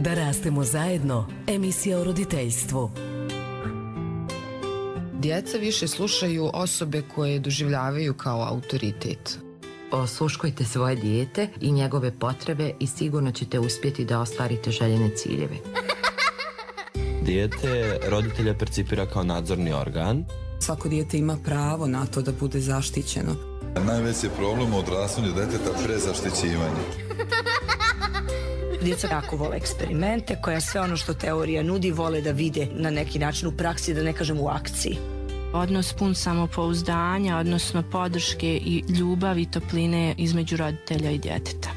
Da rastemo zajedno, emisija o roditeljstvu. Djeca više slušaju osobe koje doživljavaju kao autoritet. Osluškujte svoje dijete i njegove potrebe i sigurno ćete uspjeti da ostvarite željene ciljeve. Dijete roditelja percipira kao nadzorni organ. Svako dijete ima pravo na to da bude zaštićeno. Najveći je problem u odrastanju djeteta prezaštićivanje. Djeca jako vole eksperimente, koja sve ono što teorija nudi vole da vide na neki način u praksi, da ne kažem u akciji. Odnos pun samopouzdanja, odnosno podrške i ljubavi i topline između roditelja i djeteta.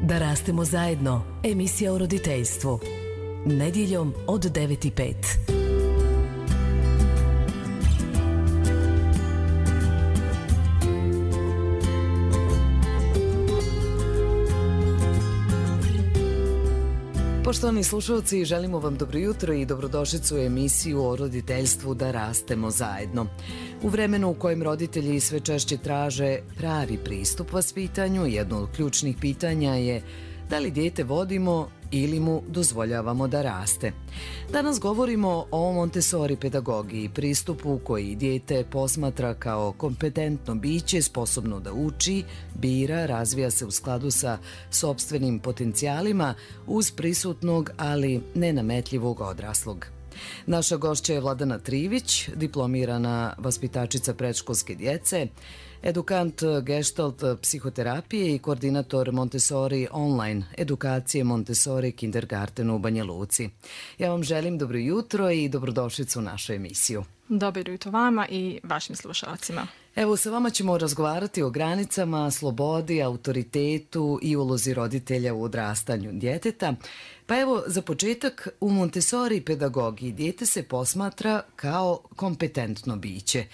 Da rastemo zajedno, emisija o roditeljstvu. Nedjeljom od 9:05. Poštovani slušalci, želimo vam dobro jutro i dobrodošlicu u emisiju o roditeljstvu Da rastemo zajedno. U vremenu u kojem roditelji sve češće traže pravi pristup vaspitanju, jedno od ključnih pitanja je da li dijete vodimo ili mu dozvoljavamo da raste. Danas govorimo o Montessori pedagogiji, pristupu koji dijete posmatra kao kompetentno biće, sposobno da uči, bira, razvija se u skladu sa sopstvenim potencijalima uz prisutnog, ali nenametljivog odraslog. Naša gošća je Vladana Trivić, diplomirana vaspitačica predškolske djece, edukant Gestalt psihoterapije i koordinator Montessori online edukacije Montessori Kindergarten u Banja Luci. Ja vam želim dobro jutro i dobrodošlicu u našu emisiju. Dobro jutro vama i vašim slušalcima. Evo, sa vama ćemo razgovarati o granicama, slobodi, autoritetu i ulozi roditelja u odrastanju djeteta. Pa evo, za početak, u Montessori pedagogiji dijete se posmatra kao kompetentno biće.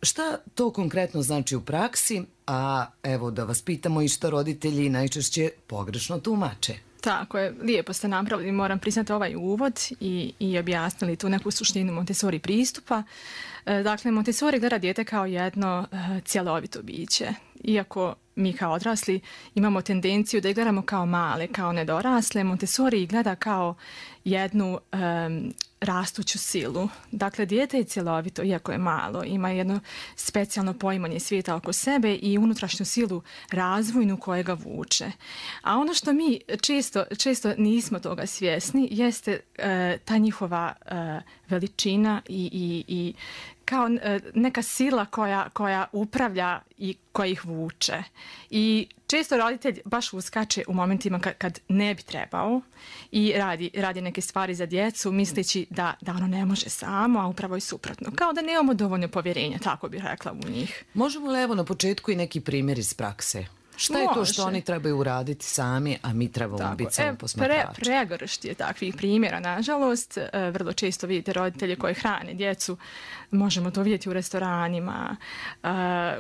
Šta to konkretno znači u praksi, a evo da vas pitamo i šta roditelji najčešće pogrešno tumače? Tako je, lijepo ste napravili, moram priznati ovaj uvod i objasnili tu neku suštinu Montessori pristupa. Dakle, Montessori gleda dijete kao jedno cjelovito biće. Iako mi kao odrasli imamo tendenciju da ih gledamo kao male, kao nedorasle, Montessori ih gleda kao jednu rastuću silu. Dakle, dijete je cjelovito, iako je malo, ima jedno specijalno poimanje svijeta oko sebe i unutrašnju silu razvojnu koja ga vuče. A ono što mi često nismo toga svjesni jeste ta njihova veličina i kao neka sila koja upravlja i koja ih vuče. I često roditelj baš uskače u momentima kad ne bi trebao i radi neke stvari za djecu misleći da ono ne može samo, a upravo i suprotno. Kao da nemamo dovoljno povjerenja, tako bih rekla, u njih. Možemo li evo na početku i neki primjer iz prakse? Šta je to što oni trebaju uraditi sami, a mi trebamo biti samo posmatrači? Pregoršt je takvih primjera, nažalost. Vrlo često vidite roditelje koji hrane djecu. Možemo to vidjeti u restoranima.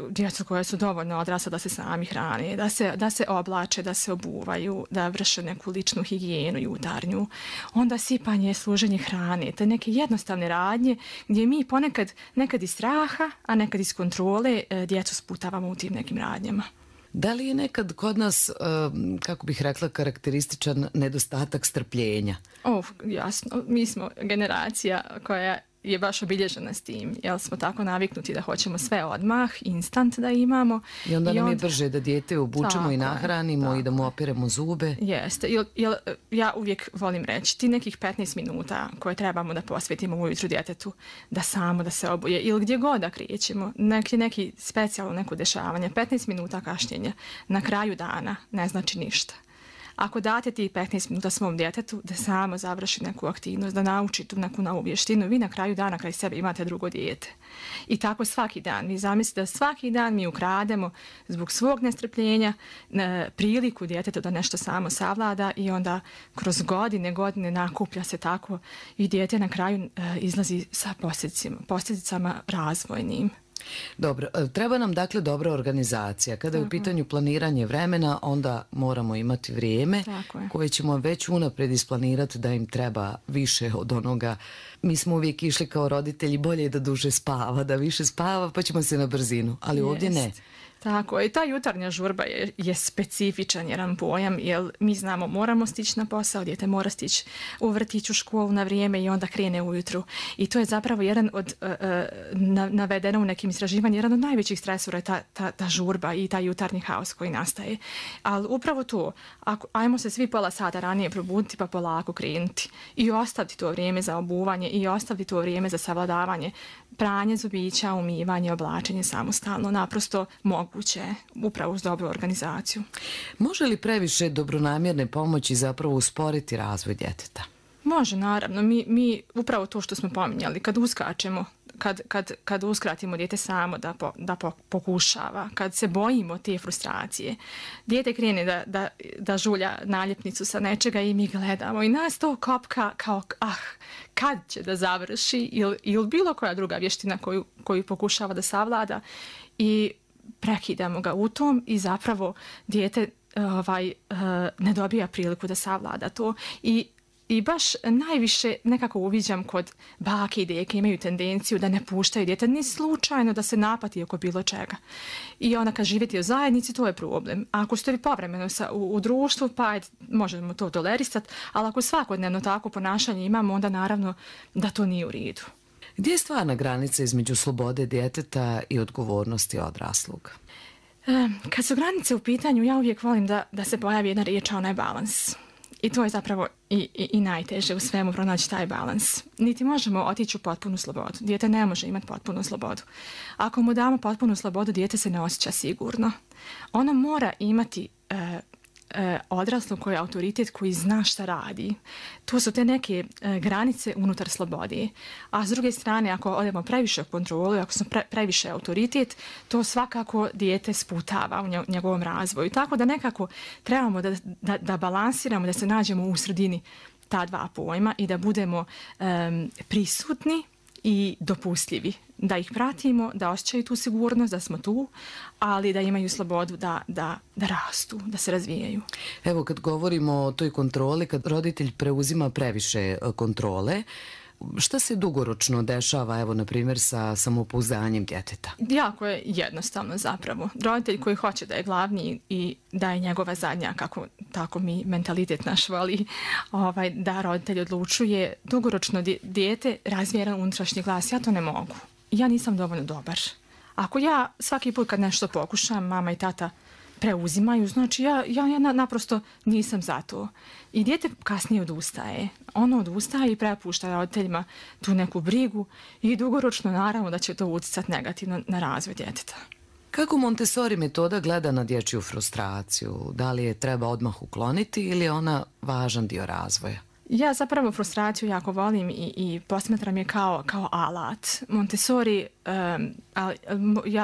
Djecu koje su dovoljno odrasla da se sami hrane, da se oblače, da se obuvaju, da vrše neku ličnu higijenu jutarnju. Onda sipanje, služenje hrane, te neke jednostavne radnje gdje mi ponekad nekad iz straha, a nekad iz kontrole djecu sputavamo u tim nekim radnjama. Da li je nekad kod nas, kako bih rekla, karakterističan nedostatak strpljenja? Jasno. Mi smo generacija koja je baš obilježena s tim, jer smo tako naviknuti da hoćemo sve odmah, instant da imamo. I onda nam je brže da dijete obučemo i nahranimo i da mu opiremo zube. Jeste. Ja uvijek volim reći, ti nekih 15 minuta koje trebamo da posvetimo ujutru djetetu, da se obuje ili gdje god da krećemo, neki specijalno neko dešavanje, 15 minuta kašnjenja na kraju dana ne znači ništa. Ako date ti 15 minuta svom djetetu da samo završi neku aktivnost, da nauči tu neku novu vještinu, vi na kraju dana kraj sebe imate drugo dijete. I tako svaki dan. Vi zamislite da svaki dan mi ukrademo zbog svog nestrpljenja priliku djetetu da nešto samo savlada i onda kroz godine nakuplja se tako i dijete na kraju izlazi sa posljedicama razvojnim. Dobro, treba nam dakle dobra organizacija. Kada je u pitanju planiranje vremena, onda moramo imati vrijeme koje ćemo već unaprijed isplanirati da im treba više od onoga. Mi smo uvijek išli kao roditelji, bolje je da duže spava, da više spava, pa ćemo se na brzinu. Ali ovdje ne. Tako, i ta jutarnja žurba je specifičan jedan pojam, jer mi znamo moramo stići na posao, dijete mora stići u vrtić, u školu na vrijeme i onda krene ujutru. I to je zapravo jedan od, navedeno u nekim istraživanjima, jedan od najvećih stresora je ta žurba i taj jutarnji haos koji nastaje. Ali upravo to, ajmo se svi pola sata ranije probuditi pa polako krenuti i ostaviti to vrijeme za obuvanje i ostaviti to vrijeme za savladavanje, pranje zubića, umivanje, oblačenje samostalno, naprosto moguće, upravo uz dobru organizaciju. Može li previše dobronamjerne pomoći zapravo usporiti razvoj djeteta? Može, naravno. Mi upravo to što smo pominjali, kad uskačemo, kad uskratimo dijete samo da pokušava, kad se bojimo te frustracije, dijete krene da žulja naljepnicu sa nečega i mi gledamo i nas to kopka kao kad će da završi ili bilo koja druga vještina koju pokušava da savlada i prekidamo ga u tom i zapravo dijete ne dobija priliku da savlada to i baš najviše nekako uviđam kod bake i deke imaju tendenciju da ne puštaju dijete ni slučajno da se napati oko bilo čega. I onda kad živjeti u zajednici, to je problem. A ako ste vi povremeno u društvu, pa možemo to tolerisati, ali ako svakodnevno tako ponašanje imamo, onda naravno da to nije u redu. Gdje je stvarna granica između slobode djeteta i odgovornosti odraslog? Kad su granice u pitanju, ja uvijek volim da se pojavi jedna riječ, a ona je balans. I to je zapravo i najteže u svemu pronaći taj balans. Niti možemo otići u potpunu slobodu. Dijete ne može imati potpunu slobodu. Ako mu damo potpunu slobodu, dijete se ne osjeća sigurno. Ono mora imati odraslog koji je autoritet, koji zna šta radi. To su te neke granice unutar slobode. A s druge strane, ako odemo previše u kontrolu, ako smo previše autoritet, to svakako dijete sputava u njegovom razvoju. Tako da nekako trebamo da balansiramo, da se nađemo u sredini ta dva pojma i da budemo prisutni i dopustljivi. Da ih pratimo, da osjećaju tu sigurnost, da smo tu, ali da imaju slobodu da rastu, da se razvijaju. Evo, kad govorimo o toj kontroli, kad roditelj preuzima previše kontrole, šta se dugoročno dešava, evo, na primjer, sa samopouzdanjem djeteta? Jako je jednostavno zapravo. Roditelj koji hoće da je glavni i da je njegova zadnja, tako mi mentalitet naš voli, da roditelj odlučuje, dugoročno dijete razvija jedan unutrašnji glas. Ja to ne mogu. Ja nisam dovoljno dobar. Ako ja svaki put kad nešto pokušam, mama i tata preuzimaju, znači ja naprosto nisam za to. I dijete kasnije odustaje. Ono odustaje i prepušta roditeljima tu neku brigu i dugoročno naravno da će to utjecati negativno na razvoj djeteta. Kako Montessori metoda gleda na dječju frustraciju? Da li je treba odmah ukloniti ili je ona važan dio razvoja? Ja zapravo frustraciju jako volim i posmatram je kao alat. Montessori,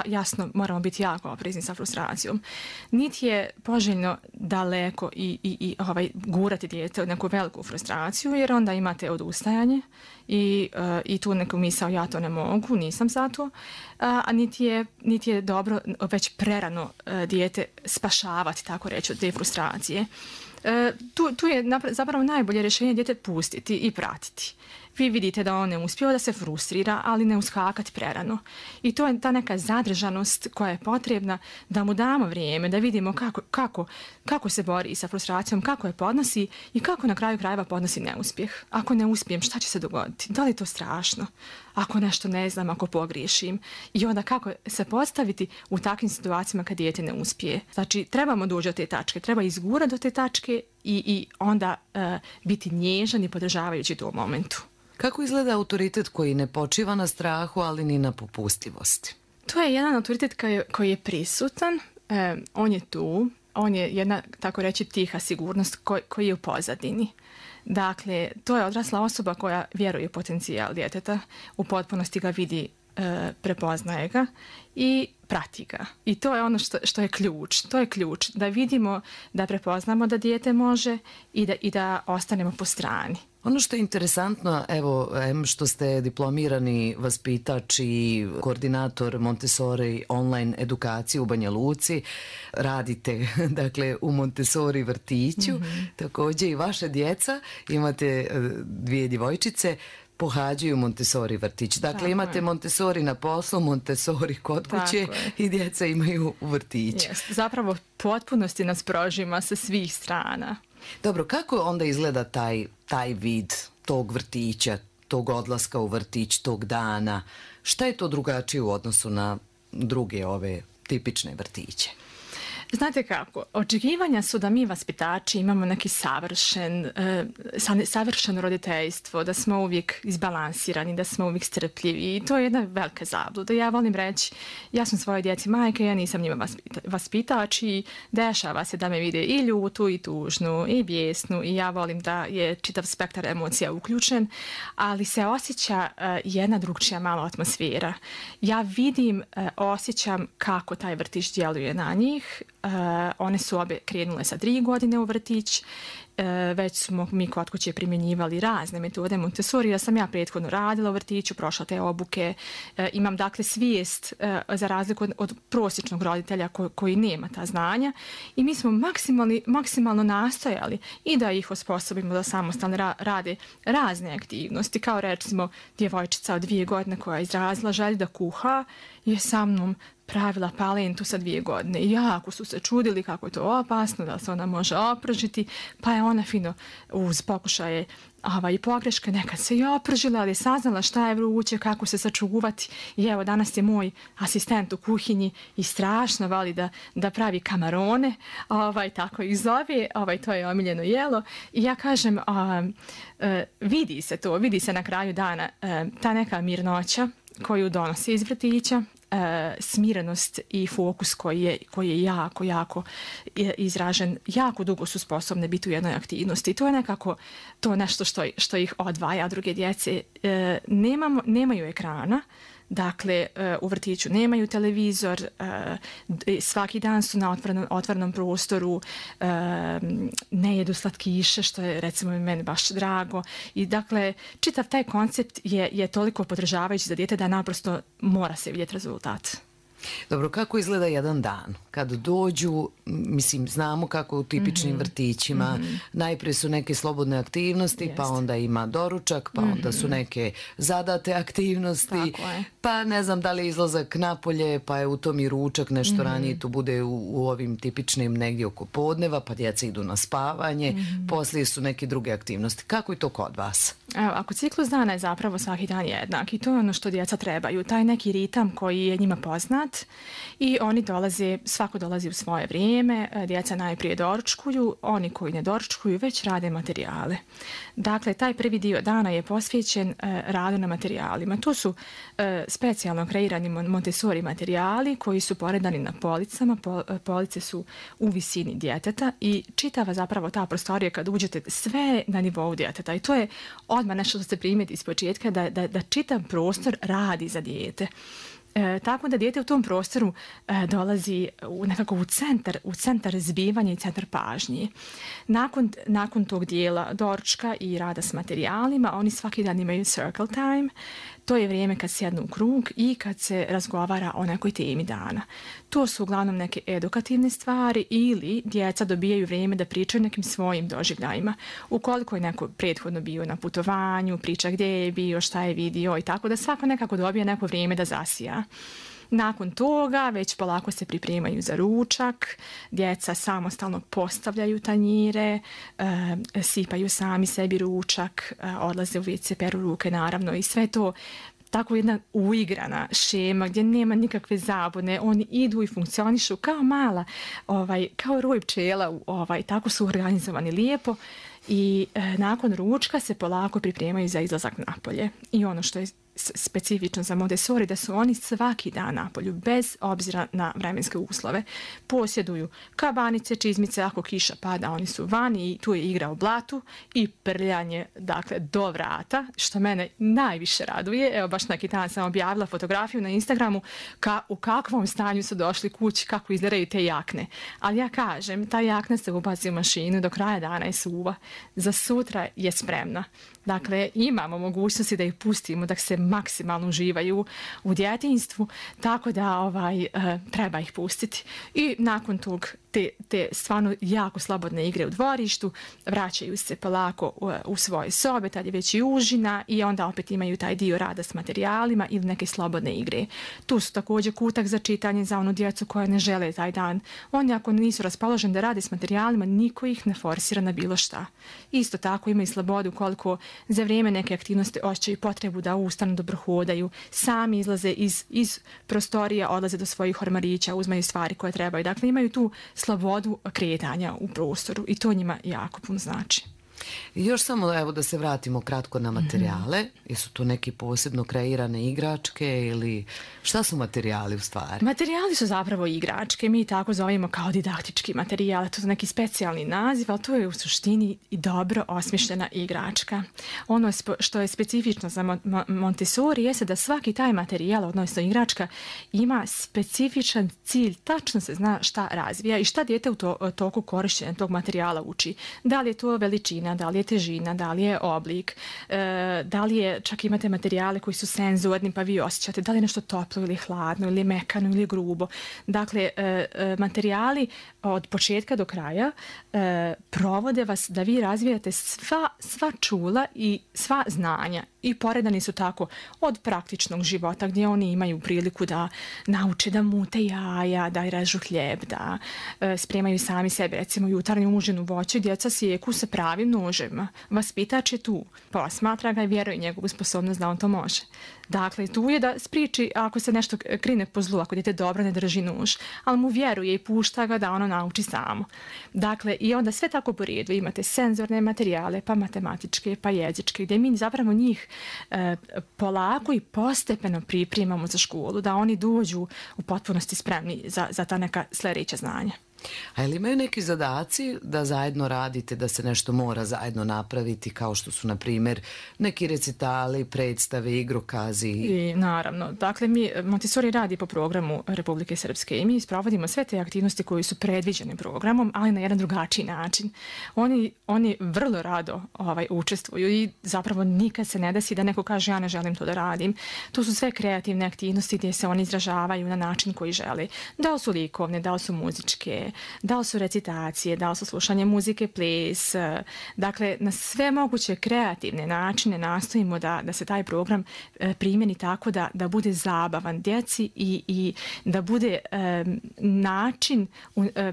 jasno, moramo biti jako oprezni sa frustracijom. Niti je poželjno daleko i gurati dijete u neku veliku frustraciju, jer onda imate odustajanje i tu neku misao ja to ne mogu, nisam za to. A niti je dobro već prerano dijete spašavati, tako reći, od te frustracije. Tu je zapravo najbolje rješenje dijete pustiti i pratiti. Vi vidite da on ne uspio, da se frustrira, ali ne uskakati prerano. I to je ta neka zadržanost koja je potrebna da mu damo vrijeme, da vidimo kako se bori sa frustracijom, kako je podnosi i kako na kraju krajeva podnosi neuspjeh. Ako ne uspijem, šta će se dogoditi? Da li je to strašno? Ako nešto ne znam, ako pogriješim. I onda kako se postaviti u takvim situacijama kad dijete ne uspije. Znači, trebamo doći do te tačke, treba izgurati do te tačke i onda biti nježan i podržavajući to u momentu. Kako izgleda autoritet koji ne počiva na strahu, ali ni na popustljivosti? To je jedan autoritet koji je prisutan, on je tu, on je jedna, tako reći, tiha sigurnost koji je u pozadini. Dakle, to je odrasla osoba koja vjeruje u potencijal djeteta, u potpunosti ga vidi, prepoznaje ga i prati ga. I to je ono što je ključ. To je ključ da vidimo, da prepoznamo da dijete može i da ostanemo po strani. Ono što je interesantno, evo, što ste diplomirani vaspitač i koordinator Montessori online edukacije u Banja Luci, radite, dakle, u Montessori vrtiću, također i vaše djeca, imate 2 djevojčice. pohađaju Montessori vrtić. Dakle, imate Montessori na poslu, Montessori kod kuće i djeca imaju u vrtiću. Zapravo potpunosti nas prožima sa svih strana. Dobro, kako onda izgleda taj vid tog vrtića, tog odlaska u vrtić, tog dana? Šta je to drugačije u odnosu na druge ove tipične vrtiće? Znate kako, očekivanja su da mi vaspitači imamo neki savršeno roditeljstvo, da smo uvijek izbalansirani, da smo uvijek strpljivi i to je jedna velika zabluda. Ja volim reći, ja sam svoje djeci majke, ja nisam njima vaspitač i dešava se da me vide i ljutu i tužnu i bijesnu i ja volim da je čitav spektar emocija uključen, ali se osjeća jedna drugčija malo atmosfera. Ja vidim, osjećam kako taj vrtić djeluje na njih. One su obe krenule sa 3 godine u vrtić, već smo mi kod kuće primjenjivali razne metode Montessori, da sam ja prethodno radila u vrtiću, prošla te obuke, imam dakle svijest za razliku od prosječnog roditelja koji nema ta znanja i mi smo maksimalno nastojali i da ih osposobimo da samostalno rade razne aktivnosti, kao recimo djevojčica od 2 godine koja je izrazila želju da kuha je sa mnom pravila palentu sa 2 godine i jako su se čudili kako je to opasno, da se ona može opržiti, pa je ona fino uz pokušaje i pogreške nekad se i opržila, ali je saznala šta je vruće, kako se sačuvati i evo danas je moj asistent u kuhinji i strašno voli da pravi kamarone, tako ih zove, to je omiljeno jelo i ja kažem, vidi se na kraju dana ta neka mirnoća koju donosi iz vrtića, smirenost i fokus koji je jako izražen, jako dugo su sposobne biti u jednoj aktivnosti. To je nekako to nešto što ih odvaja od druge djece. Nemaju ekrana, dakle u vrtiću nemaju televizor, svaki dan su na otvorenom prostoru, ne jedu slatkiše, što je recimo meni baš drago. I dakle, čitav taj koncept je toliko podržavajući za dijete da naprosto mora se vidjeti rezultat. Dobro, kako izgleda jedan dan? Kad dođu, mislim, znamo kako u tipičnim vrtićima, najprije su neke slobodne aktivnosti, pa onda ima doručak, pa onda su neke zadate aktivnosti, pa ne znam da li je izlazak napolje, pa je u tom i ručak, nešto ranije tu bude u ovim tipičnim negdje oko podneva, pa djeca idu na spavanje, poslije su neke druge aktivnosti. Kako je to kod vas? Evo, ako ciklus dana je zapravo svaki dan jednak i to je ono što djeca trebaju, taj neki ritam koji je njima poznat i oni svako dolazi u svoje vrijeme, djeca najprije doručkuju, oni koji ne doručkuju već rade materijale. Dakle, taj prvi dio dana je posvećen radu na materijalima. To su specijalno kreirani Montessori materijali koji su poredani na policama, police su u visini djeteta i čitava zapravo ta prostorija kad uđete sve na nivou djeteta i to je odmah nešto što se primijeti iz početka da čitav prostor radi za dijete. Tako da dijete u tom prostoru dolazi nekako u centar zbivanja i centar pažnje. Nakon tog dijela doručka i rada s materijalima, oni svaki dan imaju circle time. To je vrijeme kad sjednu u krug i kad se razgovara o nekoj temi dana. To su uglavnom neke edukativne stvari ili djeca dobijaju vrijeme da pričaju nekim svojim doživljajima. Ukoliko je neko prethodno bio na putovanju, priča gdje je bio, šta je vidio i tako da svako nekako dobije neko vrijeme da zasija. Nakon toga već polako se pripremaju za ručak, djeca samostalno postavljaju tanjire, sipaju sami sebi ručak, odlaze u WC, peru ruke naravno i sve to tako jedna uigrana šema gdje nema nikakve zabune, oni idu i funkcionišu kao mala, kao roj pčela, tako su organizovani lijepo i nakon ručka se polako pripremaju za izlazak napolje. I ono što je specifično za Montessori da su oni svaki dan napolju, bez obzira na vremenske uslove. Posjeduju kabanice, čizmice, ako kiša pada, oni su vani i tu je igra u blatu i prljanje, dakle, do vrata, što mene najviše raduje. Evo, baš neki dan sam objavila fotografiju na Instagramu u kakvom stanju su došli kući, kako izgledaju te jakne. Ali ja kažem, ta jakna se ubaci u mašinu, do kraja dana je suva, za sutra je spremna. Dakle, imamo mogućnosti da ih pustimo, da se maksimalno uživaju u djetinjstvu, tako da treba ih pustiti. I nakon tog te stvarno jako slobodne igre u dvorištu, vraćaju se polako u svoje sobe, tad je već i užina i onda opet imaju taj dio rada s materijalima ili neke slobodne igre. Tu su također kutak za čitanje za onu djecu koja ne žele taj dan. Oni ako nisu raspoloženi da rade s materijalima, niko ih ne forsira na bilo šta. Isto tako imaju slobodu koliko za vrijeme neke aktivnosti osjećaju potrebu da ustanu, dobro hodaju, sami izlaze iz prostorija, odlaze do svojih ormarića, uzmaju stvari koje trebaju. Dakle, imaju tu slobodu kretanja u prostoru i to njima jako puno znači. I još samo evo da se vratimo kratko na materijale. Jesu to neki posebno kreirane igračke ili šta su materijali u stvari? Materijali su zapravo igračke. Mi tako zovemo kao didaktički materijal. To je neki specijalni naziv, ali to je u suštini i dobro osmišljena igračka. Ono što je specifično za Montessori jeste da svaki taj materijal, odnosno igračka, ima specifičan cilj. Tačno se zna šta razvija i šta dijete u toku korištenja tog materijala uči. Da li je to veličina, da li je težina, da li je oblik, da li je, čak imate materijale koji su senzorni pa vi osjećate da li je nešto toplo ili hladno ili mekano ili grubo. Dakle, materijali od početka do kraja provode vas da vi razvijate sva čula i sva znanja i poredani su tako od praktičnog života gdje oni imaju priliku da nauče da mute jaja, da režu hljeb, da spremaju sami sebe, recimo jutarnju užinu voće, djeca sjeku sa pravim nožem. Vaspitač je tu, posmatra ga i vjeruje njegovu sposobnost da on to može. Dakle, tu je da spriči ako se nešto krine po zlu, ako dijete dobro ne drži nož, ali mu vjeruje i pušta ga da ono nauči samo. Dakle, i onda sve tako po redu. Imate senzorne materijale, pa matematičke, pa jezičke, gdje mi zapravo njih polako i postepeno pripremamo za školu, da oni dođu u potpunosti spremni za ta neka sljedeća znanja. A ili imaju neki zadaci da zajedno radite, da se nešto mora zajedno napraviti, kao što su, na primjer, neki recitali, predstave, igrokazi? I naravno. Dakle, Montessori radi po programu Republike Srpske i mi sprovodimo sve te aktivnosti koje su predviđene programom, ali na jedan drugačiji način. Oni vrlo rado učestvuju i zapravo nikad se ne desi da neko kaže ja ne želim to da radim. To su sve kreativne aktivnosti gdje se oni izražavaju na način koji žele. Da li su likovne, da li su muzičke, da li su recitacije, da li su slušanje muzike, ples. Dakle, na sve moguće kreativne načine nastojimo da se taj program primjeni tako da bude zabavan djeci i da bude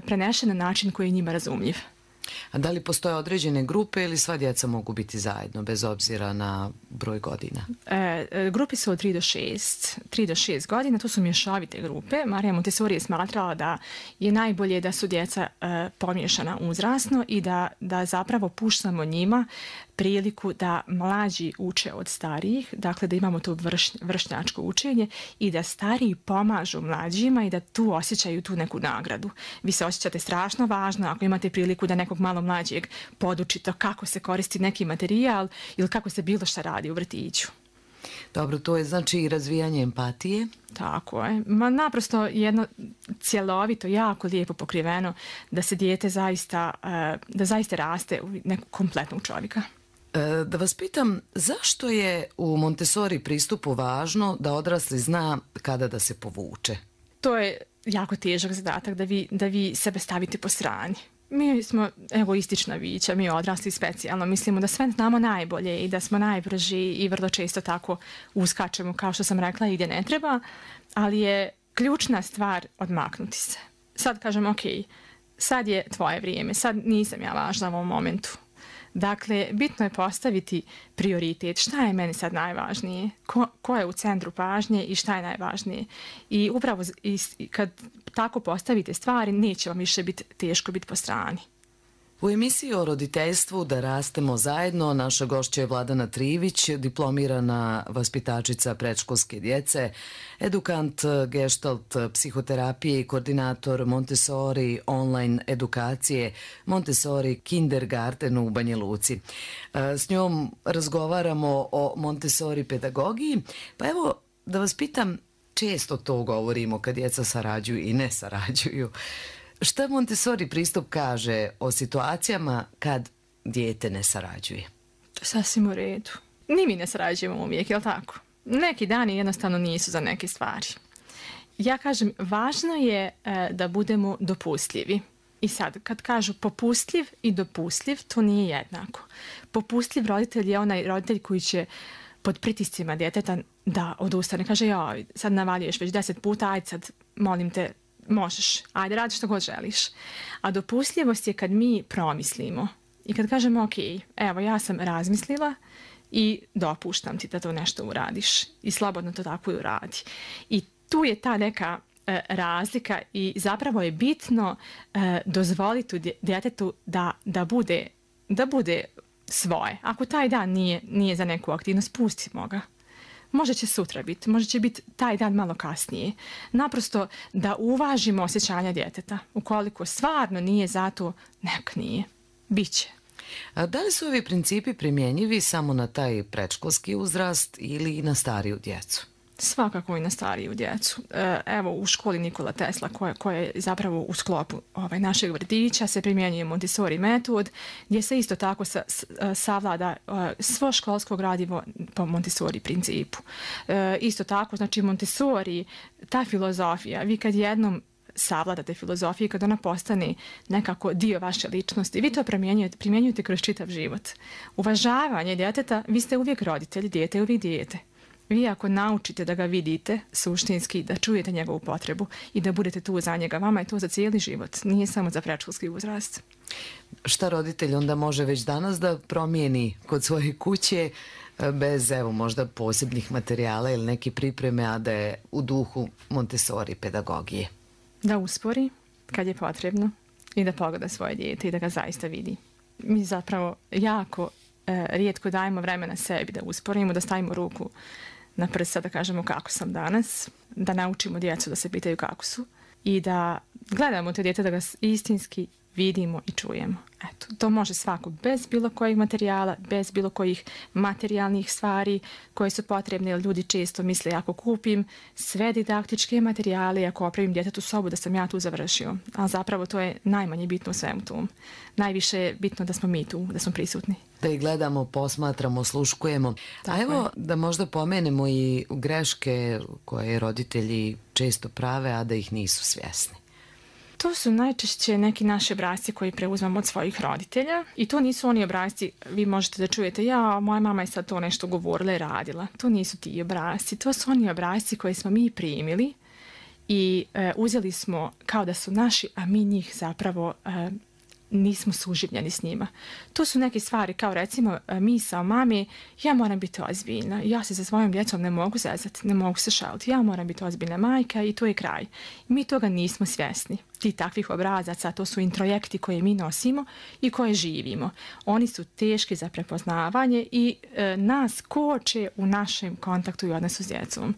prenešen na način koji je njima razumljiv. A da li postoje određene grupe ili sva djeca mogu biti zajedno, bez obzira na broj godina? Grupe su od 3 do 6 godina, to su mješovite grupe. Marija Montessori je smatrala da je najbolje da su djeca pomiješana uzrasno i da zapravo puštamo njima priliku da mlađi uče od starijih, dakle da imamo to vršnjačko učenje i da stariji pomažu mlađima i da tu osjećaju tu neku nagradu. Vi se osjećate strašno važno ako imate priliku da nekog malo mlađeg podučite kako se koristi neki materijal ili kako se bilo šta radi u vrtiću. Dobro, to je znači i razvijanje empatije. Tako je. Naprosto jedno cjelovito, jako lijepo pokriveno da se dijete zaista raste u nekog kompletnog čovjeka. Da vas pitam, zašto je u Montessori pristupu važno da odrasli zna kada da se povuče? To je jako težak zadatak da vi sebe stavite po strani. Mi smo egoistična bića, mi odrasli specijalno. Mislimo da sve znamo najbolje i da smo najbrži i vrlo često tako uskačemo, kao što sam rekla, i gdje ne treba, ali je ključna stvar odmaknuti se. Sad kažem, ok, sad je tvoje vrijeme, sad nisam ja važna u ovom momentu. Dakle, bitno je postaviti prioritet. Šta je meni sad najvažnije? Ko je u centru pažnje i šta je najvažnije? I upravo kad tako postavite stvari, neće vam više biti teško biti po strani. U emisiji o roditeljstvu Da rastemo zajedno naša gošća je Vladana Trivić, diplomirana vaspitačica predškolske djece, edukant gestalt psihoterapije i koordinator Montessori online edukacije Montessori Kindergarten u Banja Luci. S njom razgovaramo o Montessori pedagogiji. Pa evo da vas pitam, često to govorimo kad djeca sarađuju i ne sarađuju. Šta Montessori pristup kaže o situacijama kad dijete ne sarađuje? To je sasvim u redu. Ni mi ne sarađujemo uvijek, je li tako? Neki dani jednostavno nisu za neke stvari. Ja kažem, važno je da budemo dopustljivi. I sad, kad kažu popustljiv i dopustljiv, to nije jednako. Popustljiv roditelj je onaj roditelj koji će pod pritiscima djeteta da odustane. Kaže, joj, sad navaljuješ već 10 puta, ajde sad, molim te, možeš, ajde, radi što god želiš. A dopustljivost je kad mi promislimo i kad kažemo, ok, evo, ja sam razmislila i dopuštam ti da to nešto uradiš i slobodno to tako i uradi. I tu je ta neka razlika i zapravo je bitno dozvoliti djetetu da bude svoje. Ako taj dan nije za neku aktivnost, pustimo ga. Možda će sutra biti, možda će biti taj dan malo kasnije. Naprosto da uvažimo osjećanja djeteta. Ukoliko stvarno nije zato, nek nije. Biće. A da li su ovi principi primjenjivi samo na taj predškolski uzrast ili i na stariju djecu? Svakako i na stariju djecu. Evo, u školi Nikola Tesla, koja je zapravo u sklopu našeg vrtića, se primjenjuje Montessori metod, gdje se isto tako savlada svo školsko gradivo po Montessori principu. Isto tako, znači Montessori, ta filozofija, vi kad jednom savladate filozofiju, kad ona postane nekako dio vaše ličnosti, vi to primjenjujete kroz čitav život. Uvažavanje djeteta, vi ste uvijek roditelj, dijete je uvijek dijete. Vi ako naučite da ga vidite suštinski, da čujete njegovu potrebu i da budete tu za njega, vama je to za cijeli život, nije samo za predškolski uzrast. Šta roditelj onda može već danas da promijeni kod svoje kuće bez, evo, možda posebnih materijala ili neke pripreme, a da je u duhu Montessori pedagogije? Da uspori kad je potrebno i da pogleda svoje dijete i da ga zaista vidi. Mi zapravo jako rijetko dajemo vremena sebi da usporimo, da stavimo ruku na prsa, da kažemo kako sam danas, da naučimo djecu da se pitaju kako su i da gledamo te dijete, da ga istinski vidimo i čujemo. Eto, to može svako bez bilo kojih materijala, bez bilo kojih materijalnih stvari koje su potrebne, jer ljudi često misle ako kupim sve didaktičke materijale, ako opravim djetetu sobu, da sam ja tu završio. A zapravo to je najmanje bitno u svemu tom. Najviše je bitno da smo mi tu, da smo prisutni. Da ih gledamo, posmatramo, sluškujemo. A evo da možda pomenemo i greške koje roditelji često prave, a da ih nisu svjesni. To su najčešće neki naši obrasci koji preuzmamo od svojih roditelja i to nisu oni obrasci, vi možete da čujete, ja, moja mama je sad to nešto govorila i radila. To nisu ti obrasci, to su oni obrasci koje smo mi primili i uzeli smo kao da su naši, a mi njih zapravo nismo suživljeni s njima. To su neke stvari kao recimo misao mami, ja moram biti ozbiljna, ja se sa svojom djecom ne mogu zezati, ne mogu se šaliti, ja moram biti ozbiljna majka i to je kraj. Mi toga nismo svjesni. Ti takvih obrazaca, to su introjekti koje mi nosimo i koje živimo. Oni su teški za prepoznavanje i nas koče u našem kontaktu i odnosu s djecom.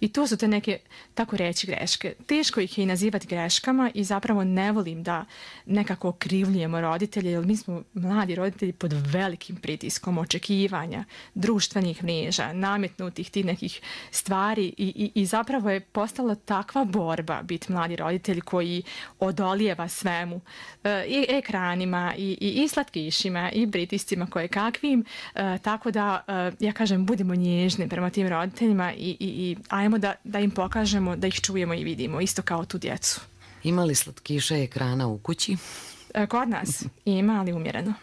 I to su te neke, tako reći, greške. Teško ih je i nazivati greškama i zapravo ne volim da nekako okrivljujemo roditelje, jer mi smo mladi roditelji pod velikim pritiskom očekivanja, društvenih mreža, nametnutih tih nekih stvari i zapravo je postala takva borba biti mladi roditelj koji odolijeva svemu, i ekranima, i slatkišima, i pritiscima koje kakvim, tako da, ja kažem, budemo nježni prema tim roditeljima i ajmo da im pokažemo da ih čujemo i vidimo, isto kao tu djecu. Ima li slatkiša i ekrana u kući? Kod nas ima, ali umjereno.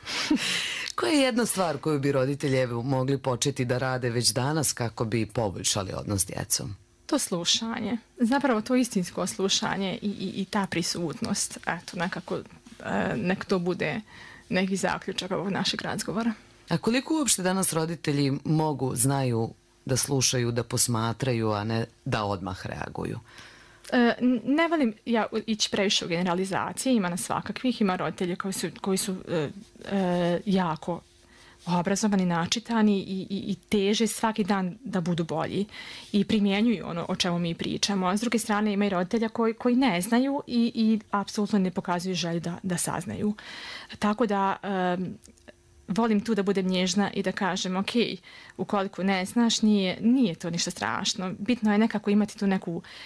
Koja je jedna stvar koju bi roditelji mogli početi da rade već danas kako bi poboljšali odnos s djecom? To slušanje, zapravo to istinsko slušanje i ta prisutnost, eto, nekako, nek to bude neki zaključak ovog našeg razgovora. A koliko uopšte danas roditelji znaju da slušaju, da posmatraju, a ne da odmah reaguju? Ne volim ja ići previše u generalizacije, ima nas svakakvih, ima roditelje koji su jako obrazovani, načitani i teže svaki dan da budu bolji i primjenjuju ono o čemu mi pričamo. A s druge strane ima i roditelja koji ne znaju i apsolutno ne pokazuju želju da saznaju. Tako da volim tu da budem nježna i da kažem ok, ukoliko ne znaš, nije to ništa strašno. Bitno je nekako imati tu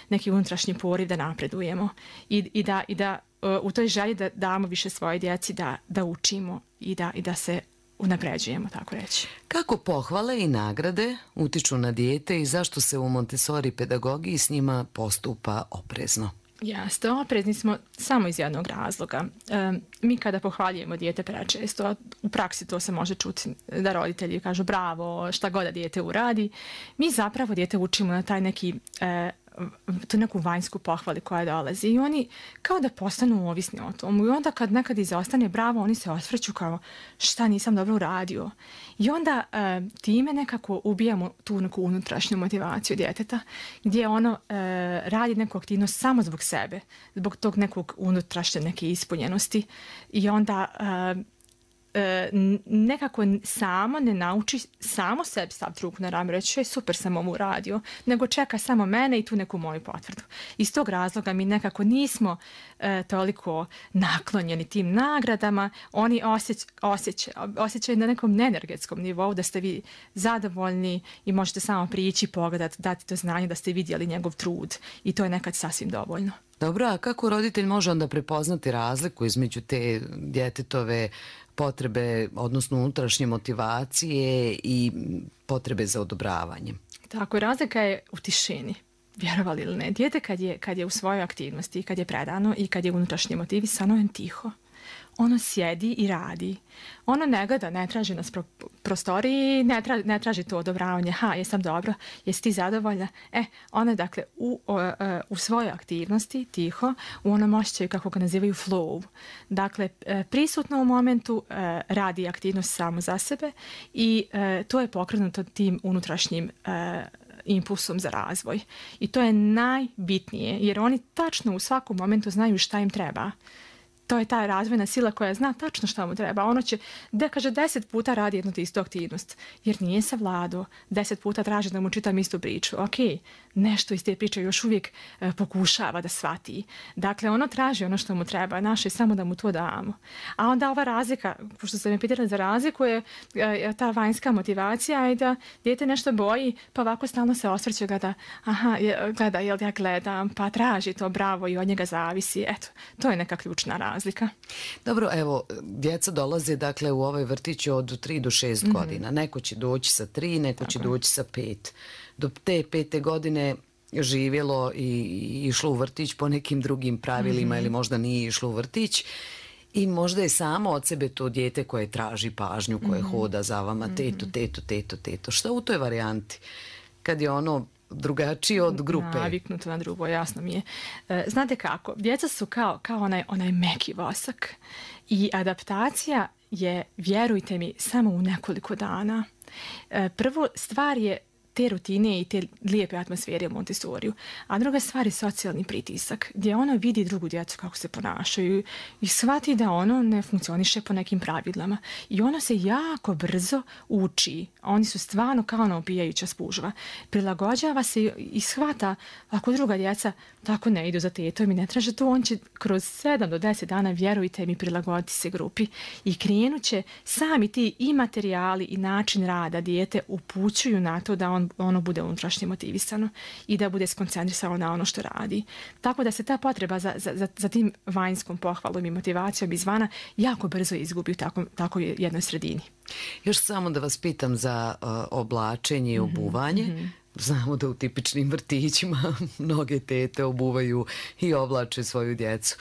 neki unutrašnji poriv da napredujemo i da u toj želji da damo više svoje djeci, da učimo i da se unapređujemo, tako reći. Kako pohvale i nagrade utiču na dijete i zašto se u Montessori pedagogiji s njima postupa oprezno? Jeste, oprezni smo samo iz jednog razloga. Mi kada pohvaljujemo dijete prečesto, u praksi to se može čuti da roditelji kažu bravo, šta god da dijete uradi, mi zapravo dijete učimo na taj neki tu neku vanjsku pohvali koja dolazi i oni kao da postanu ovisni o tomu i onda kad nekad izostane bravo, oni se osvrću kao šta nisam dobro uradio i onda time nekako ubijamo tu neku unutrašnju motivaciju djeteta gdje ono radi neku aktivnost samo zbog sebe, zbog tog nekog unutrašnje neke ispunjenosti i onda nekako samo ne nauči samo sebi staviti ruku na rame, reći super sam ovo uradio, nego čeka samo mene i tu neku moju potvrdu. Iz tog razloga mi nekako nismo toliko naklonjeni tim nagradama, oni osjećaju na nekom energetskom nivou da ste vi zadovoljni i možete samo prići, pogledati, dati to znanje da ste vidjeli njegov trud i to je nekad sasvim dovoljno. Dobro, a kako roditelj može onda prepoznati razliku između te djetetove potrebe, odnosno unutrašnje motivacije i potrebe za odobravanjem? Tako, razlika je u tišini, vjerovali ili ne. Dijete kad je u svojoj aktivnosti, kad je predano i kad je unutrašnje motivisano, je tiho. Ono sjedi i radi. Ono ne gleda, ne traži nas prostoriji, ne traži to odobravanje. Ha, jesam dobro, jesi ti zadovoljna? Ono dakle u svojoj aktivnosti, tiho, u onom osjećaju kako ga nazivaju flow. Dakle, prisutno u momentu radi aktivnost samo za sebe i to je pokrenuto tim unutrašnjim impulsom za razvoj. I to je najbitnije, jer oni tačno u svakom momentu znaju šta im treba. To je ta razvojna sila koja zna tačno šta mu treba. Ono će, da kaže, 10 puta radi jednu istu aktivnost, jer nije savladao. 10 puta traži da mu čitam istu priču. Ok, nešto iz te priče još uvijek pokušava da shvati. Dakle, ono traži ono što mu treba. Naše je samo da mu to damo. A onda ova razlika, pošto ste me pitali za razliku, je ta vanjska motivacija i da dijete nešto boji, pa ovako stalno se osvrće gleda, gleda, jel ja gledam, pa traži to, bravo, i od njega zavisi. Eto, to je neka ključna razlika. Dobro, evo, djeca dolaze dakle u ovaj vrtić od 3 do 6 godina. Neko će doći sa 3, neko će doći sa 5. Do te 5. godine živjelo i išlo u vrtić po nekim drugim pravilima ili možda nije išlo u vrtić i možda je samo od sebe to dijete koje traži pažnju, koje hoda za vama, teto. Šta u toj varijanti? Kad je ono drugačije od grupe. Naviknuto na drugo, jasno mi je. Znate kako, djeca su kao onaj meki vosak i adaptacija je, vjerujte mi, samo u nekoliko dana. Prvo stvar je te rutine i te lijepe atmosfere u Montessoriju. A druga stvar je socijalni pritisak, gdje ono vidi drugu djecu kako se ponašaju i shvati da ono ne funkcioniše po nekim pravilama. I ono se jako brzo uči. Oni su stvarno kao ona opijajuća spužva. Prilagođava se i shvata ako druga djeca tako ne idu za tetom i ne traže to, on će kroz 7 do 10 dana, vjerujte mi, prilagoditi se grupi i krenut će sami ti i materijali i način rada dijete upućuju na to da ono bude unutrašnje motivisano i da bude skoncentrisano na ono što radi. Tako da se ta potreba za tim vanjskom pohvalom i motivacijom izvana jako brzo izgubi u tako jednoj sredini. Još samo da vas pitam za oblačenje i obuvanje. Znamo da u tipičnim vrtićima mnoge tete obuvaju i oblače svoju djecu.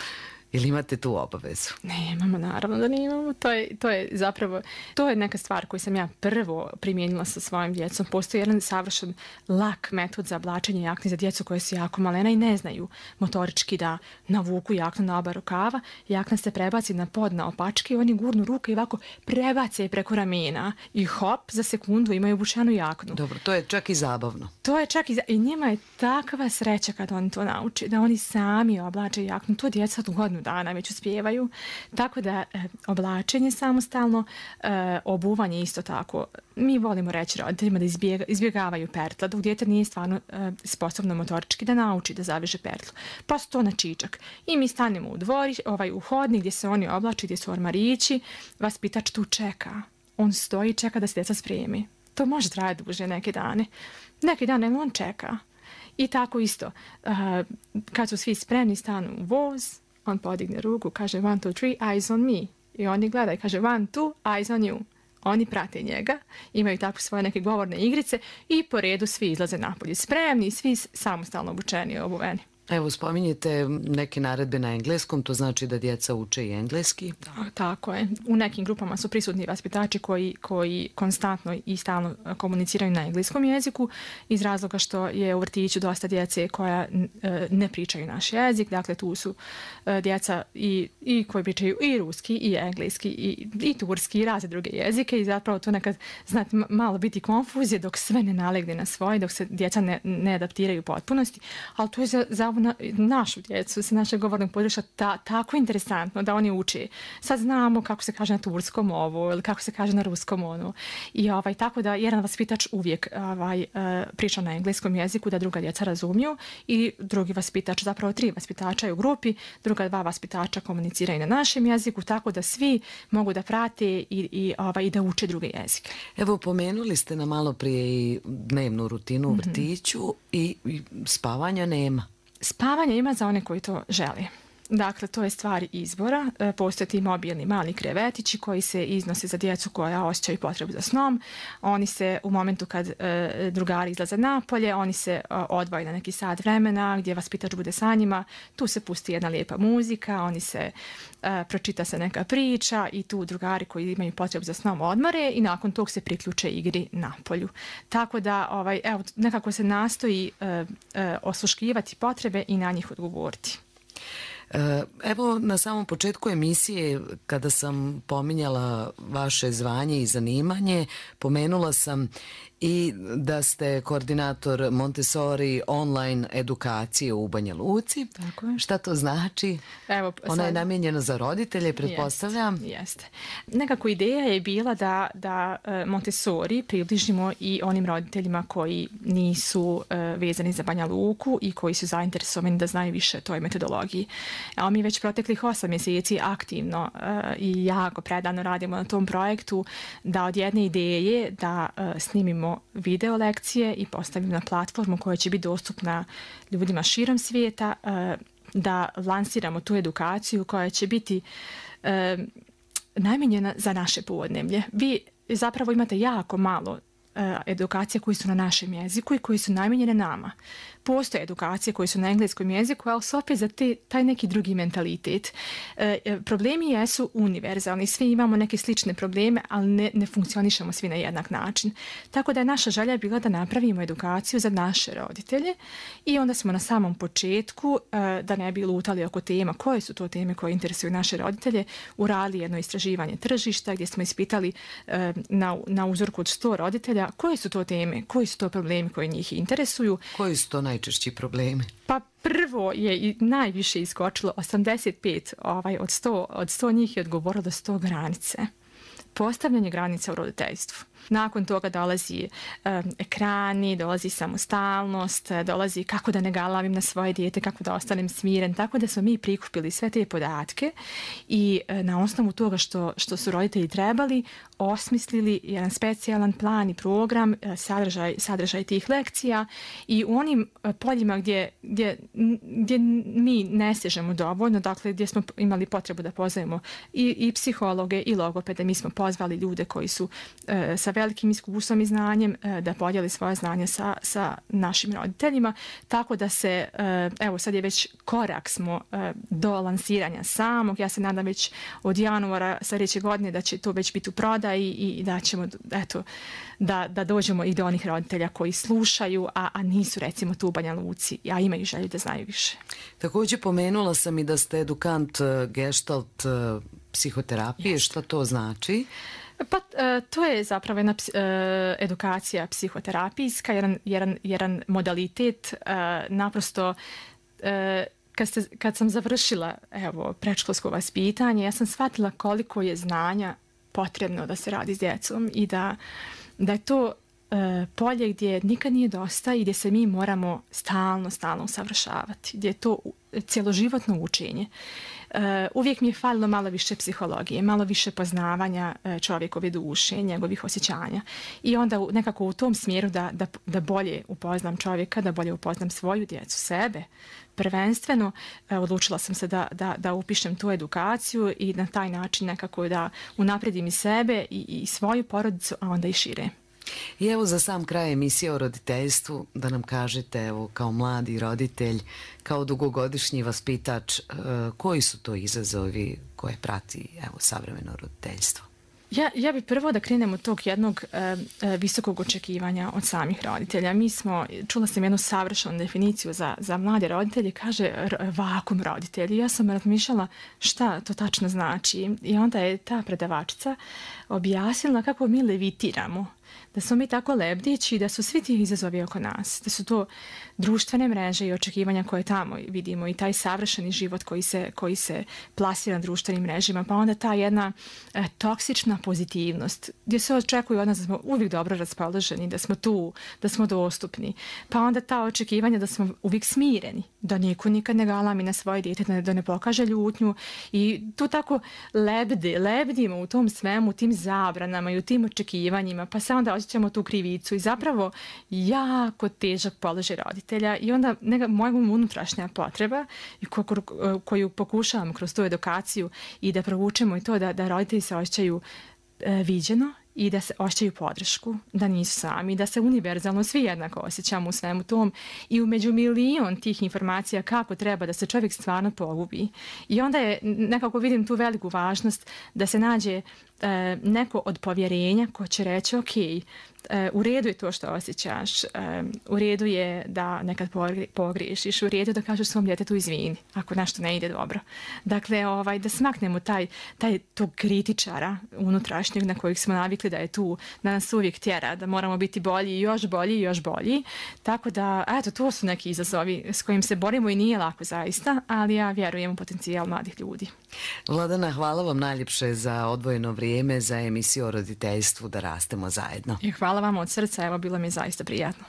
Ili imate tu obavezu? Nemamo, naravno da nemamo. To je zapravo, to je neka stvar koju sam ja prvo primijenila sa svojim djecom. Postoji jedan savršen lak metod za oblačenje jakne za djecu koje su jako malena i ne znaju motorički da navuku jaknu na oba rukava. Jakna se prebaci na pod na opačke i oni gurnu ruke i ovako prebace preko ramena i hop, za sekundu imaju obučenu jaknu. Dobro, to je čak i zabavno. To je čak i njima je takva sreća kad oni to nauče, da oni sami oblače jaknu. To djeca tu godinu dana već uspijevaju. Tako da oblačenje samostalno, obuvanje isto tako. Mi volimo reći roditeljima da izbjegavaju pertla, dok dijete nije stvarno sposobno motorički da nauči da zaveže pertlu. Pa su to na čičak. I mi stanemo u hodnik gdje se oni oblači, gdje su ormarići. Vaspitač tu čeka. On stoji i čeka da se djeca spremi. To može trajati duže neke dane. Neki dan on čeka. I tako isto. Kad su svi spremni, stanu u voz, on podigne ruku, kaže 1, 2, 3, eyes on me. I oni gledaju, kaže 1, 2, eyes on you. Oni prate njega, imaju tako svoje neke govorne igrice i po redu svi izlaze napolje. Spremni, svi samostalno obučeni i obuveni. Evo, spominjete neke naredbe na engleskom, to znači da djeca uče i engleski? Tako je. U nekim grupama su prisutni vaspitači koji konstantno i stalno komuniciraju na engleskom jeziku iz razloga što je u vrtiću dosta djece koja ne pričaju naš jezik. Dakle, tu su djeca i koji pričaju i ruski, i engleski, i turski, i razne druge jezike i zapravo to nekad, znate, malo biti konfuzije dok sve ne nalegne na svoje, dok se djeca ne adaptiraju u potpunosti. Ali to je za našu djecu, sa našeg govornog područja tako interesantno da oni uče. Sad znamo kako se kaže na turskom ovo ili kako se kaže na ruskom ono. I tako da jedan vaspitač uvijek priča na engleskom jeziku da druga djeca razumiju i drugi vaspitač, zapravo 3 vaspitača u grupi, druga 2 vaspitača komuniciraju na našem jeziku, tako da svi mogu da prate i da uče druge jezike. Evo, pomenuli ste nam malo prije i dnevnu rutinu u vrtiću i spavanja nema. Spavanje ima za one koji to žele. Dakle, to je stvar izbora. Postoje ti mobilni mali krevetići koji se iznose za djecu koja osjećaju potrebu za snom. Oni se u momentu kad drugari izlaze napolje, oni se odvoje na neki sat vremena gdje vaspitač bude sa njima. Tu se pusti jedna lijepa muzika, oni se pročita se neka priča i tu drugari koji imaju potrebu za snom odmore i nakon tog se priključe igri napolju. Tako da evo, nekako se nastoji osluškivati potrebe i na njih odgovoriti. Evo, na samom početku emisije, kada sam pominjala vaše zvanje i zanimanje, pomenula sam i da ste koordinator Montessori online edukacije u Banja Luci. Tako je. Šta to znači? Evo, ona je namijenjena za roditelje, pretpostavljam. Jeste. Nekako ideja je bila da Montessori približimo i onim roditeljima koji nisu vezani za Banja Luku i koji su zainteresovani da znaju više o toj metodologiji. A mi već proteklih 8 mjeseci aktivno i jako predano radimo na tom projektu da od jedne ideje da snimimo video lekcije i postavimo na platformu koja će biti dostupna ljudima širom svijeta, da lansiramo tu edukaciju koja će biti namijenjena za naše podneblje. Vi zapravo imate jako malo edukacije koji su na našem jeziku i koji su namijenjene nama. Postoje edukacije koje su na engleskom jeziku, ali su opet za taj neki drugi mentalitet. Problemi jesu univerzalni, svi imamo neke slične probleme, ali ne funkcionišemo svi na jednak način. Tako da je naša želja bila da napravimo edukaciju za naše roditelje i onda smo na samom početku, da ne bi lutali oko tema, koje su to teme koje interesuju naše roditelje, uradili jedno istraživanje tržišta gdje smo ispitali na uzorku od 100 roditelja koje su to teme, koji su to problemi koji njih interesuju. Koji su to najčešći problemi? Pa prvo je i najviše iskočilo 85 od 100 njih je odgovorilo da su to granice. Postavljanje granica u roditeljstvu. Nakon toga dolazi ekrani, dolazi samostalnost, dolazi kako da ne galavim na svoje dijete, kako da ostanem smiren. Tako da smo mi prikupili sve te podatke i na osnovu toga što su roditelji trebali, osmislili jedan specijalan plan i program, sadržaj tih lekcija i u onim poljima gdje mi ne stižemo dovoljno, dakle gdje smo imali potrebu da pozovemo i psihologe i logopede, mi smo pozvali ljude koji su sa velikim iskustvom i znanjem da podijeli svoje znanje sa našim roditeljima, tako da se, evo sad je već korak smo do lansiranja samog, ja se nadam već od januara sljedeće godine da će to već biti u prodaji i da ćemo, eto, da dođemo i do onih roditelja koji slušaju, a nisu recimo tu u Banja Luci, a imaju želju da znaju više. Također pomenula sam i da ste edukant Gestalt psihoterapije. Šta to znači? Pa to je zapravo jedna edukacija psihoterapijska, jedan modalitet, naprosto kad sam završila predškolsko vaspitanje, ja sam shvatila koliko je znanja potrebno da se radi s djecom i da je to polje gdje nikad nije dosta i gdje se mi moramo stalno usavršavati, gdje je to cjeloživotno učenje. Uvijek mi je falilo malo više psihologije, malo više poznavanja čovjekove duše, njegovih osjećanja. I onda nekako u tom smjeru da bolje upoznam čovjeka, da bolje upoznam svoju djecu, sebe. Prvenstveno odlučila sam se da upišem tu edukaciju i na taj način nekako da unapredim i sebe i svoju porodicu, a onda i šire. I evo za sam kraj emisije o roditeljstvu da nam kažete, evo kao mladi roditelj, kao dugogodišnji vaspitač, koji su to izazovi koje prati evo savremeno roditeljstvo? Ja bi prvo da krenemo od tog jednog visokog očekivanja od samih roditelja. Čula sam jednu savršenu definiciju za mlade roditelje, kaže vakum roditelji. Ja sam razmišljala šta to tačno znači i onda je ta predavačica objasnila kako mi levitiramo, da smo mi tako lebdeći, da su svi ti izazovi oko nas, da su to društvene mreže i očekivanja koje tamo vidimo i taj savršeni život koji se plasira na društvenim mrežima, pa onda ta jedna toksična pozitivnost gdje se očekuje od nas da smo uvijek dobro raspoloženi, da smo tu, da smo dostupni, pa onda ta očekivanja da smo uvijek smireni, da niko nikad ne galami na svoje dijete, da ne pokaže ljutnju i tu tako lebdimo u tom svemu, u tim zabranama i u tim očekivanjima, pa se onda osjećamo tu krivicu i zapravo jako težak položaj roditelja i onda moja unutrašnja potreba koju pokušavam kroz tu edukaciju i da provučemo i to da roditelji se osjećaju viđeno i da se osjećaju podršku, da nisu sami, da se univerzalno svi jednako osjećamo u svemu tom i umeđu milion tih informacija kako treba da se čovjek stvarno pogubi. I onda je, nekako vidim tu veliku važnost da se nađe neko od povjerenja ko će reći ok, u redu je to što osjećaš, u redu je da nekad pogriješiš, u redu je da kažeš svom djetetu izvini ako nešto ne ide dobro. Dakle, da smaknemo tog kritičara unutrašnjeg na kojeg smo navikli da je tu, da nas uvijek tjera, da moramo biti bolji, još bolji, još bolji. Tako da, eto, to su neki izazovi s kojim se borimo i nije lako zaista, ali ja vjerujem u potencijal mladih ljudi. Vladana, hvala vam najljepše za odvojeno vrijeme za emisiju o roditeljstvu Da rastemo zajedno. I hvala vam od srca, evo bilo mi je zaista prijatno.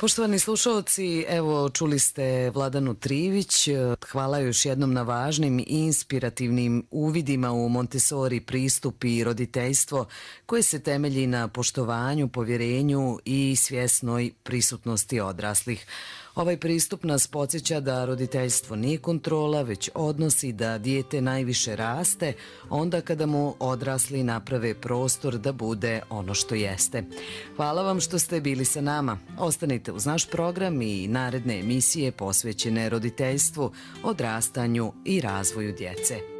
Poštovani slušalci, evo čuli ste Vladanu Trivić, hvala još jednom na važnim i inspirativnim uvidima u Montessori pristup i roditeljstvo koje se temelji na poštovanju, povjerenju i svjesnoj prisutnosti odraslih. Ovaj pristup nas podsjeća da roditeljstvo nije kontrola, već odnosi da dijete najviše raste onda kada mu odrasli naprave prostor da bude ono što jeste. Hvala vam što ste bili sa nama. Ostanite uz naš program i naredne emisije posvećene roditeljstvu, odrastanju i razvoju djece.